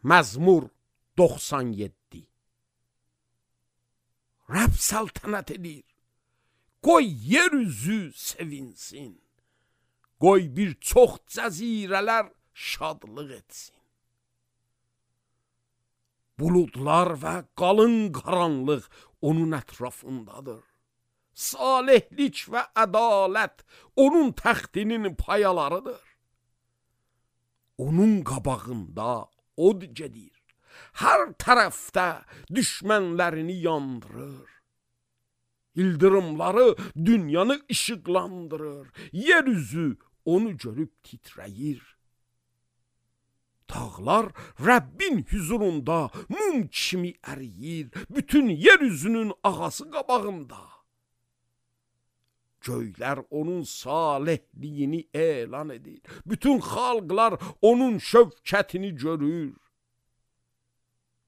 Məzmur 97. Rəbb səltənət edir, qoy yer üzü sevinsin, qoy bir çox cəzirələr şadlıq etsin. Buludlar və qalın qaranlıq onun ətrafındadır. Salihlik və ədalət onun təxtinin payalarıdır. Onun qabağında od gedir, hər tərəfdə düşmənlərini yandırır. İldırımları dünyanı işıqlandırır, yer üzü onu görüb titrəyir. Dağlar Rəbbin hüzurunda mum kimi əriyir, bütün yer üzünün ağası qabağında. Göylər onun salihliyini elan edir, bütün xalqlar onun şövkətini görür.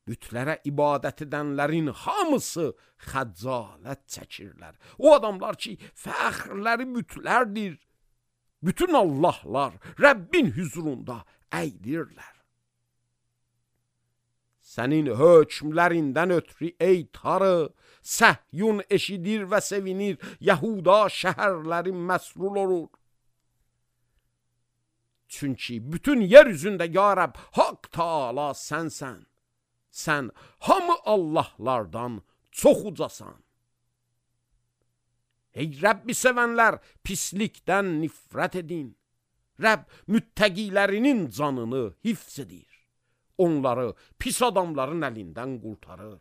Bütlərə ibadət edənlərin hamısı xəcalət çəkirlər. O adamlar ki, fəxrləri bütlərdir, bütün Allahlar Rəbbin hüzurunda əydirlər. Sənin hökmlərindən ötürü ey tarı, Səhyun eşidir və sevinir, Yahuda şəhərləri məsrur olur. Çünki bütün yer üzündə ya Rəbb, Haqq Taala sənsən. Sən hamı Allahlardan çox ucasan. Ey Rəbbi sevənlər, pislikdən nifrət edin. Rəbb müttəqilərinin canını hifz edir. Onları pis adamların əlindən qurtarır.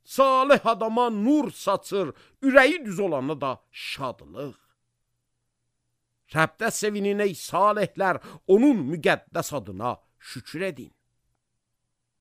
Salih adama nur saçır, ürəyi düz olana da şadlıq. Rəbdə sevinin ey salihlər, onun müqəddəs adına şükür edin.